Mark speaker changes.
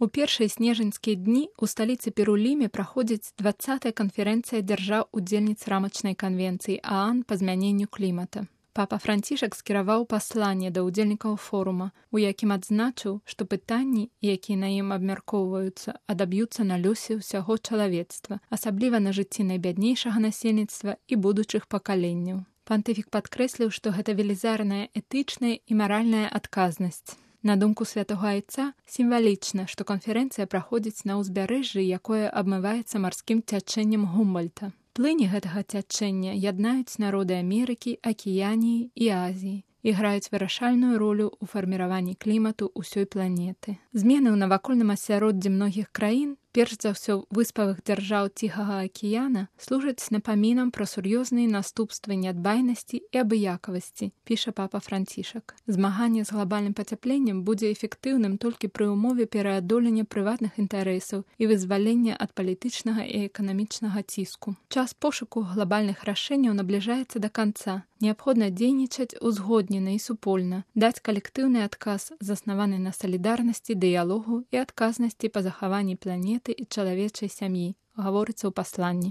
Speaker 1: У першыя снежаньскія дні ў сталіцы Перу Ліме праходзіць 20-я канферэнцыя дзяржаў-удзельніц рамачнай канвенцыі ААН па змяненню клімата. Папа Францішак скіраваў пасланне да ўдзельнікаў форума, у якім адзначыў, што пытанні, якія на ім абмяркоўваюцца, адаб'юцца на лёсе ўсяго чалавецтва, асабліва на жыцці найбяднейшага насельніцтва і будучых пакаленняў. Пантыфік падкрэсліў, што гэта велізарная этычная і маральная адказнасць. На думку святога айца, сімвалічна, што канферэнцыя праходзіць на ўзбярэжжы, якое абмываецца марскім цячэннем Гумбольта. Плыні гэтага цячэння яднаюць народы Амерыкі, Акіяніі і Азіі і граюць вырашальную ролю ў фарміраванні клімату ўсёй планеты. Змены ў навакольным асяроддзі многіх краін, перш за ўсё выспавых дзяржаў Ціхага акіяна, служаць напамінам пра сур'ёзныя наступствы нядбайнасці і абыякавасці, піша папа Францішак. Змаганне з глабальным пацяпленнем будзе эфектыўным толькі пры ўмове пераадолення прыватных інтарэсаў і вызвалення ад палітычнага і эканамічнага ціску. Час пошуку глобальных рашэнняў набліжаецца да канца. Неабходна дзейнічаць узгоднена і супольна, даць калектыўны адказ, заснаваны на салідарнасці, дыялогу і адказнасці па захаванні планеты і чалавечай сям'і, гаворыцца ў пасланні.